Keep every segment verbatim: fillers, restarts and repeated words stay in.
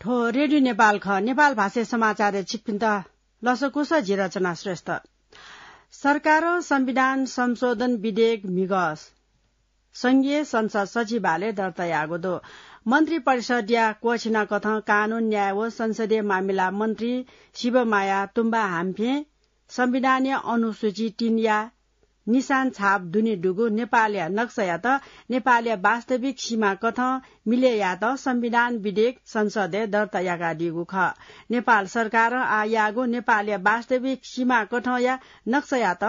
थ्व रेडियो नेपाल खः। नेपाल भाषाय् समाचारय् छिकपिन्त लसकुस, जि रचना श्रेष्ठ। सरकारं संविधान संशोधन विधेयक म्हिगः संघीय संसद सचिवालय दर्ता याःगु दु। मन्त्री परिषदया क्वःछिनाकथं कानून, न्याय व संसदीय मामिला मन्त्री शिवमाया तुम्बा हाम्फें संविधानया अनुसूची तीनया निशान छाप दुने दुगु नेपालया नक्सायात नेपालया वास्तविक सीमाकथं मिले यायेत संविधान विधेयक संसदय् दर्ता याकादीगु खः। नेपाल सरकारं आः याःगु नेपालया वास्तविक सीमाकथंया नक्सायात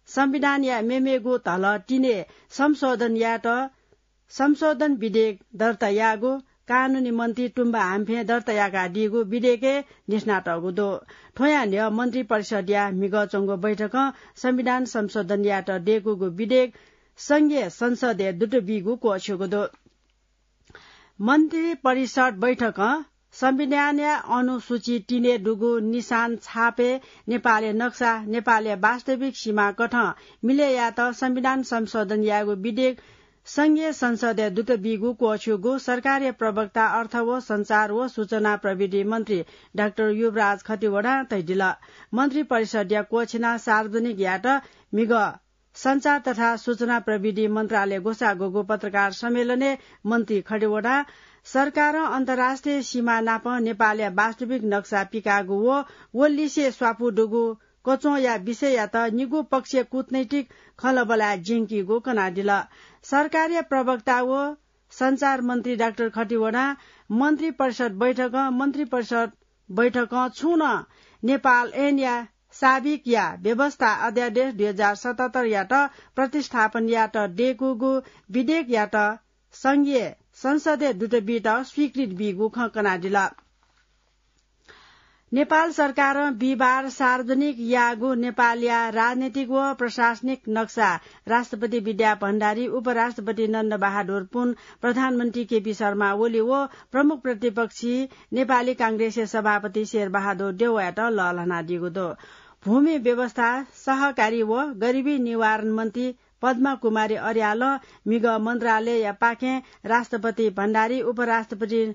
संविधानया मेमेगु धलः तिने संशोधन यायेत संशोधन विधेयक दर्ता याःगु कानूनी मन्त्री तुम्बा हाम्फें दर्ता याकादीगु विधेयकय् देशना तःगु दु। थ्वयां न्ह्यः मन्त्री परिषदया म्हिगः च्वंगु बैठकं संविधान संशोधन यायेत दय्कूगु विधेयक संघीय संसदय् दुत बीगु क्वःछ्यूगु दु। मन्त्री परिषद बैठकं संविधानया अनुसूची तीनय् दुगु निशान छापय् नेपालया नक्सा, नेपालया वास्तविक सीमाकथं मिले यायेत संविधान संशोधन यायेगु विधेयक संघीय संसदय् दुत बीगु क्वःछ्यूगु सरकारया प्रवक्ता, अर्थ व सञ्चार व सूचना प्रविधि मन्त्री डाक्टर युवराज खतिवडां धयादिल। मन्त्री परिषदया क्वःछिना सार्वजनिक यायेत म्हिगः सञ्चार तथा सूचना प्रविधि मन्त्रालय ग्वसाः ग्वःगु पत्रकार सम्मेलनय् मन्त्री खतिवडां सरकारं अन्तर्राष्ट्रिय सीमा नाप नेपालया वास्तविक नक्सा पिकाःगु व व लिसे स्वापू दुगु कच्वंया विषययात निगू पक्षीय कूटनैतिक खँल्हाबल्हाय् ज्यंकीगु कनादिल। सरकारया प्रवक्ता व सञ्चार मन्त्री डाक्टर खतिवडां मन्त्री परिषद बैठकं, मन्त्री परिषद बैठकं छुं नं नेपाल ऐनया साबिकया व्यवस्था अध्यादेश दुई हजार सतहत्तर यात प्रतिस्थापन यात दय्कूगु विधेयक यात संघीय संसदय् दुत बीत स्वीकृति बीगु खँ कनादिल। नेपाल सरकारं बिहिबार सार्वजनिक याःगु नेपालया राजनीतिक व प्रशासनिक नक्सा राष्ट्रपति विद्या भण्डारी, उपराष्ट्रपति नन्द बहादुर पुन, प्रधानमन्त्री केपी शर्मा ओली व प्रमुख प्रतिपक्षी नेपाली कांग्रेसया सभापति शेरबहादुर देउवायात लःल्हानादीगु दु। भूमि व्यवस्था, सहकारी व गरिबी निवारण मन्त्री पद्मा कुमारी अर्यालं म्हिगः मन्त्रालयया पाखें राष्ट्रपति भण्डारी, उपराष्ट्रपति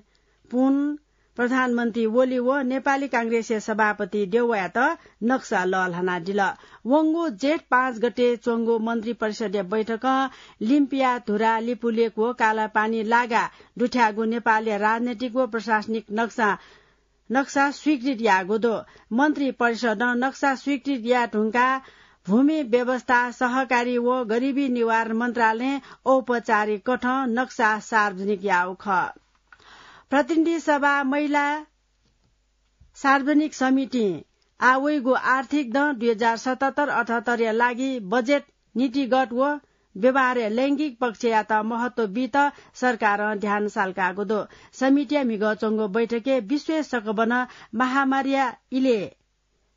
पुन, प्रधानमन्त्री ओली व नेपाली कांग्रेसया सभापति देउवायात नक्सा लःल्हानादिल। वंगु जेठ पाँच गते च्वंगु मन्त्री परिषदया बैठकं लिम्पिया धुरा, लिपुलेक व कालापानी लागा दुथ्याःगु नेपालया राजनैतिक व प्रशासनिक नक्सा, नक्सा स्वीकृत याःगु दु। मन्त्री परिषदं नक्सा स्वीकृत याये धुंकाः भूमि व्यवस्था, सहकारी व गरिबी निवारण मन्त्रालयं औपचारिक कथं नक्सा सार्वजनिक याःगु खः। प्रतिनिधि सभा महिला सार्वजनिक समितिं आः वइगु आर्थिक दँ दुई हजार सतहत्तर अठहत्तरया लागि बजेट नीतिगत व व्यवहारय् लैंगिक पक्षयात महत्व बीत सरकारं ध्यान सालकाःगु दु। समितिया म्हिगः च्वंगु बैठकय् विश्वय् सकबनं महामारीया इलय्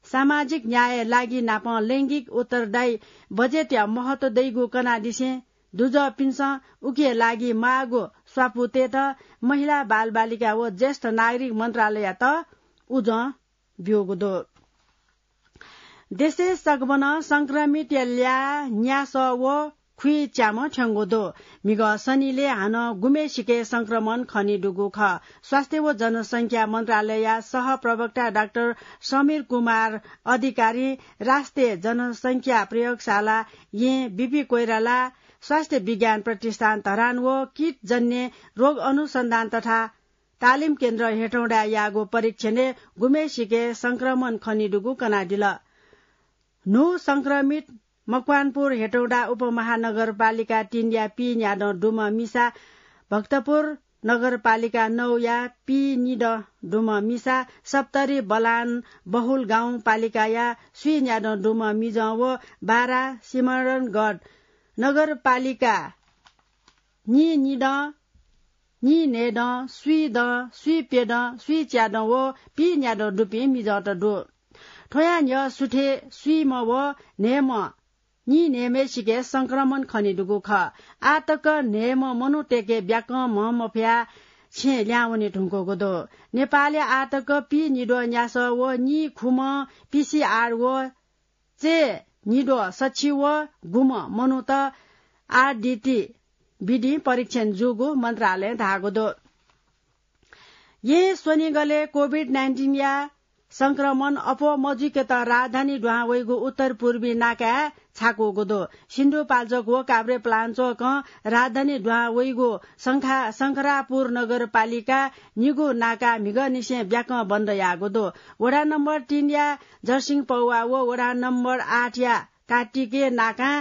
सामाजिक न्यायया लागि नापं लैंगिक उत्तरदायी बजेटया महत्व दइगु कनादिसें दुजःपिन्सं उकिया लागि माःगु स्वापू तयेत महिला, बालबालिका व ज्येष्ठ नागरिक मन्त्रालययात उजं ब्यूगु दु। देशय् सकबनं संक्रमितया ल्याः न्यासः व खुइच्याम्ह थ्यंगु दु। म्हिगः शनिलय् हानं गुम्हेसिके संक्रमण खनेदुगु खः। स्वास्थ्य व जनसंख्या मन्त्रालयया सहप्रवक्ता डाक्टर समीर कुमार अधिकारीं राष्ट्रिय जनसंख्या प्रयोगशाला, येँ, बीपी कोइराला, स्वास्थ्य विज्ञान प्रतिष्ठान धरान व कीटजन्य रोग अनुसन्धान तथा तालिम केन्द्र हेटौँडाय् याःगु परीक्षणय् गुम्हेसिके संक्रमण खनेदुगु कनादिल। न्हू संक्रमित मकवानपुर हेटौँडा उपमहानगरपालिका तीनया पीन्यादँ दुम्ह मिसा, भक्तपुर नगरपालिका नौया पीनिदँ दुम्ह मिसा, सप्तरी बलान बहुल गाउँपालिकाया स्वीन्यादँ दुम्ह मिजं व बारा सिमरनगढ नगरपालिका नीनिदँ, नीन्हय्दँ, स्वीदँ, स्वीप्यदँ, स्वीच्यादँ व पीन्यादँ दुपिं मिजंत दु। थ्वयां न्ह्यः सुथय् स्वीम्ह व न्हय्म्ह, नीन्हय्म्हय्सिके संक्रमण खनेदुगु खः। आः तक न्हय्म्ह मनूतय्के ब्याकं म्ह मफयाः छेँ ल्याहां वने धुंकूगु दु। नेपालय् आः तक पीनिद्वः न्यासः व नीखुम्ह पीसीआर व चय्निद्वः सछि व गुम्ह मनूत आरडीटी विधिं परीक्षण जूगु मन्त्रालयं धाःगु दु। येँ स्वनिगलय् कोभिड नाइन्टिनया संक्रमण अप्वः मजुइकेत राजधानी दुहां वइगु उत्तर पूर्वी नाकाय् छाकूगु दु। सिन्धुपाल्चोक व काभ्रेपलाञ्चोकं राजधानी दुहां वइगु शंखा-, शंखरापुर नगरपालिका निगू नाका म्हिगःनिसें ब्याकं बन्द याःगु दु। वडा नम्बर तीनया जर्सिङ पौवा व वडा नम्बर आठया काटिके नाकां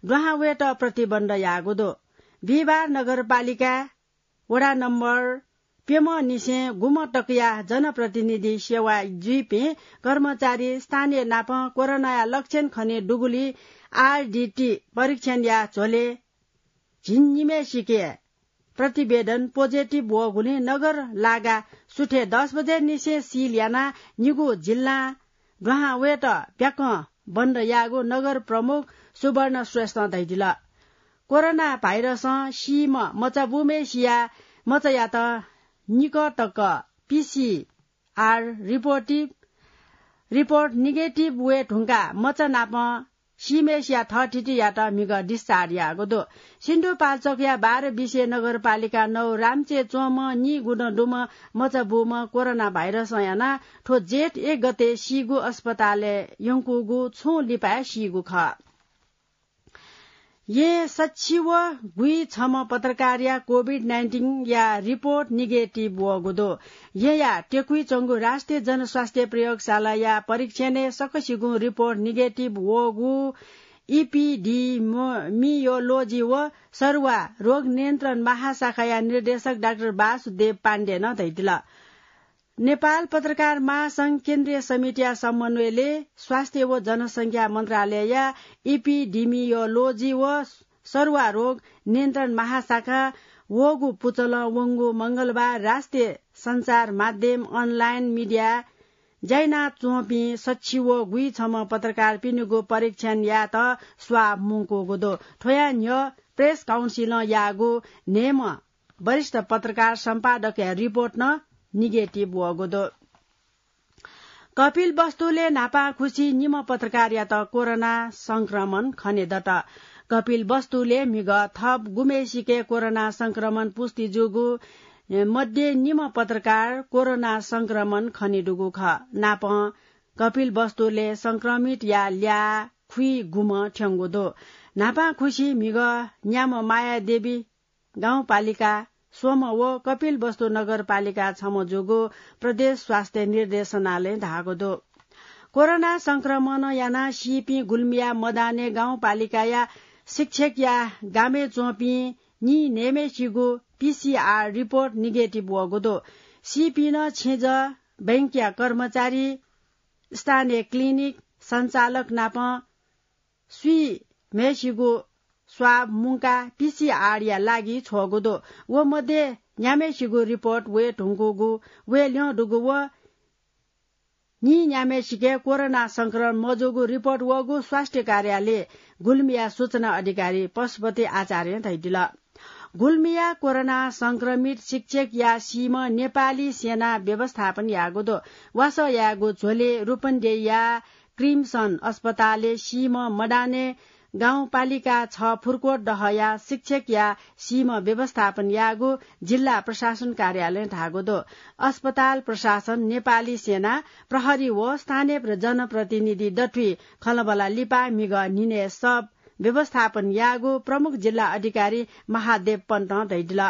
दुहां वयेत प्रतिबन्ध याःगु दु। बिहिबार नगरपालिका वडा नम्बर प्यम्हनिसें गुम्ह तकया जनप्रतिनिधि सेवा जुइपिं कर्मचारी स्थानीय नाप कोरोनाया लक्षण खने दुगुलिं आरडीटी परीक्षणया झ्वलय् झिंनिम्हय्‌सिके प्रतिवेदन पोजिटिभ वःगुलिं नगर लागा सुथय् दस बजे निसें सिल यानाः निगू जिल्लां दुहां वयेत ब्याकं बन्द याःगु नगर प्रमुख सुवर्ण श्रेष्ठं धयादिल। कोरोना भाइरसं सीम्ह मचाबूम्हय्‌सिया मचायात निकः तक पीसीआर रिपोर्टिभ, रिपोर्ट निगेटिभ वये धुंकाः मचा नाप सीम्हय्‌सिया थःथितियात म्हिगः डिस्चार्ज याःगु दु। सिन्धुपाल्चोकया बाह्र बिसे नगरपालिका नौ रामचे च्वंम्ह नीगुदँ दुम्ह मचाबूम्ह कोरोना भाइरसं यानाः थ्व जेठ एक गते सीगु अस्पतालय् यंकूगु छुं लिपाय् सीगु खः। येँ सच्छि व गुइछम्ह पत्रकारया कोभिड नाइन्टिनया रिपोर्ट निगेटिभ वःगु दु। येँया टेकुइ च्वंगु राष्ट्रिय जनस्वास्थ्य प्रयोगशालाया परीक्षणय् सकसिगुं रिपोर्ट निगेटिभ वःगु इपिडिमियोलोजी व सरुवा रोग नियन्त्रण महाशाखाया निर्देशक डाक्टर वासुदेव पाण्डेनं धयादिल। नेपाल पत्रकार महासंघ केन्द्रीय समितिया समन्वयले स्वास्थ्य व जनसंख्या मन्त्रालयया इपिडिमियोलोजी व सरुवा रोग नियन्त्रण महाशाखा वःगु पुचलं वंगु मंगलबार राष्ट्रिय सञ्चार माध्यम अनलाइन मिडिया ज्याइना च्वंपिं सच्छि व गुइछम्ह पत्रकारपिनिगु परीक्षण यायेत स्वाब मुंकूगु दु। थ्वया न्ह्यः प्रेस काउन्सिलं याःगु न्हय्‌म्ह वरिष्ठ पत्रकार सम्पादकया रिपोर्ट नं निगेटिभ वःगु दु। कपिलवस्तुलय् न्हापांखुसी निम्ह पत्रकारयात कोरोना संक्रमण खनेदत। कपिलवस्तुलय् म्हिगः थप गुम्हय्‌सिके कोरोना संक्रमण पुष्टि जूगु मध्ये निम्ह पत्रकार कोरोना संक्रमण खनेदुगु खः। नापं कपिलवस्तुलय् संक्रमितया ल्याः खुइगुम्ह थ्यंगु दु। न्हापांखुसी म्हिगः न्याम्ह मायादेवी गाउँपालिका स्वम्ह व कपिलवस्तु नगरपालिका छम्ह जूगु प्रदेश स्वास्थ्य निर्देशनालयं धाःगु दु। कोरोना संक्रमणं यानाः सीपिं गुल्मीया मदाने गाउँपालिकाया शिक्षकया गामय् च्वंपिं नीन्हय्‌म्हय्‌सिगु पीसीआर रिपोर्ट निगेटिभ वःगु दु। सीपिं नं छेँजः, बैंकया कर्मचारी, स्थानीय क्लिनिक सञ्चालक नाप स्वीम्हय्‌सिगु स्वाब मुंकाः पीसीआरया लागि छ्वःगु दु। व मध्ये न्याम्हय्‌सिगु रिपोर्ट वये धुंकूगु, वये ल्यं दुगु व नीन्याम्हय्‌सिके कोरोना संक्रमण मजूगु रिपोर्ट वःगु स्वास्थ्य कार्यालय गुल्मीया सूचना अधिकारी पशुपति आचार्यं धयादिल। गुल्मीया कोरोना संक्रमित शिक्षकया सीम्ह नेपाली सेना व्यवस्थापन याःगु दु। वासः यायेगु झ्वलय् रूपन्देहीया क्रिम्सन अस्पतालय् सीम्ह मदाने गाउँपालिका छ फुर्कोट दहया शिक्षकया सीम्ह व्यवस्थापन याःगु जिल्ला प्रशासन कार्यालयं धाःगु दु। अस्पताल प्रशासन, नेपाली सेना, प्रहरी व स्थानीय प्र-, जनप्रतिनिधि दथुइ खँल्हाबल्हा लिपा म्हिगः न्हिनय् शव व्यवस्थापन याःगु प्रमुख जिल्ला अधिकारी महादेव पन्तं धयादिल।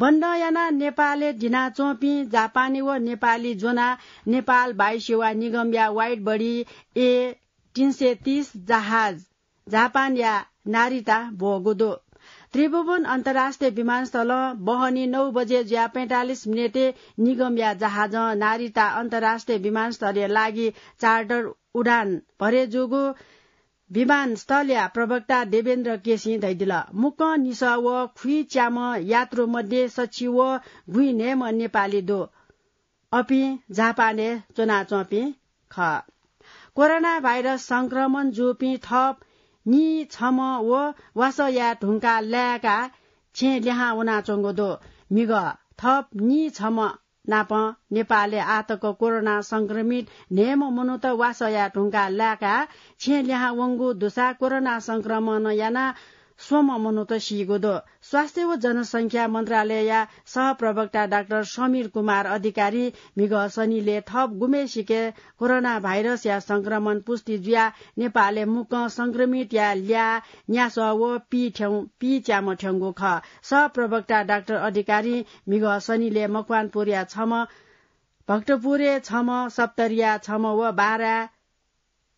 बन्द यानाः नेपालय् दिनाच्वंपिं जापानी व नेपाली ज्वनाः नेपाल वायुसेवा निगमया वाइड बडी ए तीन सय तीस जहाज जापानया नारिता ब्वःगु दु। त्रिभुवन अन्तर्राष्ट्रिय विमानस्थलं बहनी नौ बजे जुयाः पैंतालिस मिनेटय् निगमया जहाजं नारिता अन्तर्राष्ट्रिय विमानस्थलया लागि चार्टर उडान भरे जूगु विमानस्थलया प्रवक्ता देवेन्द्र केसीं धयादिल। मुक्कं निसः व खुइच्याम्ह यात्रु मध्ये सछि व गुइन्हय्‌म्ह नेपाली दु। अपिं जापानय् च्वनाच्वंपिं खः। कोरोना भाइरस संक्रमण जूपिं थप नीछम्ह व वासः याये धुंकाः लाय्‌काः छेँ लिहां वनाच्वंगु दु। म्हिगः थप नीछम्ह नाप नेपालय् आःतक कोरोना संक्रमित न्हय्‌म्ह मनूत वासः याये धुंकाः लाय्‌काः छेँ लिहां वंगु दुसा कोरोना संक्रमणं यानाः स्वम्ह मनूत सीगु दु। स्वास्थ्य व जनसंख्या मन्त्रालयया सहप्रवक्ता डाक्टर समीर कुमार अधिकारी म्हिगः शनिले थप गुम्हेसिके कोरोना भाइरसया संक्रमण पुष्टि जुयाः नेपालय् मुक्कं संक्रमितया ल्याः न्यासः व पीच्याम्ह थ्यंगु खः। सहप्रवक्ता डाक्टर अधिकारी म्हिगः शनिले मकवानपुरया छम्ह, भक्तपुरय् छम्ह, सप्तरीया छम्ह व बारा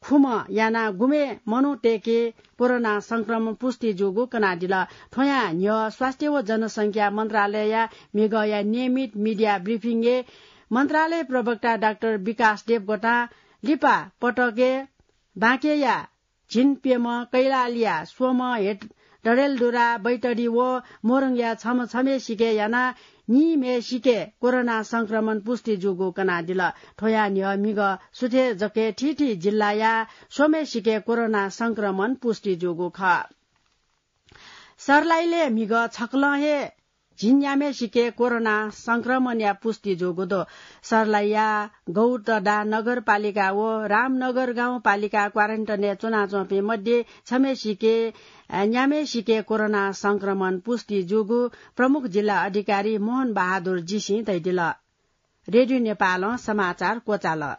खुम्ह यानाः गुम्हे मनूतय्के कोरोना संक्रमण पुष्टि जूगु कनादिल। थ्वयां न्ह्यः स्वास्थ्य व जनसंख्या मन्त्रालयया म्हिगःया नियमित मिडिया ब्रिफिङय् मन्त्रालय प्रवक्ता डाक्टर विकास देवकोटां लिपा पटकय् बाँकेया झिंप्यम्ह, कैलालीया स्वम्ह, हेट-, डडेलधुरा, बैतडी व मोरङया छम्ह छम्हेसिके यानाः निम्हेसिके कोरोना संक्रमण पुष्टि जूगु कनादिल। थ्वयां न्ह्यः म्हिगः सुथय् जक थीथी जिल्लाया स्वम्हेसिके कोरोना संक्रमण पुष्टि जूगु खः। सर्लाहीलय् म्हिगः छकलं हे झिंन्याम्हेसिके कोरोना संक्रमणया पुष्टि जूगु दु। सर्लाहीया गौतडा नगरपालिका व रामनगर गाउँपालिका क्वारेन्टाइनय् च्वनाच्वंपिं मध्ये छम्हेसिके, अ, न्याम्हेसिके कोरोना संक्रमण पुष्टि जूगु प्रमुख जिल्ला अधिकारी मोहन बहादुर जीसिं धयादिल। रेडियो नेपालं समाचार क्वचाल।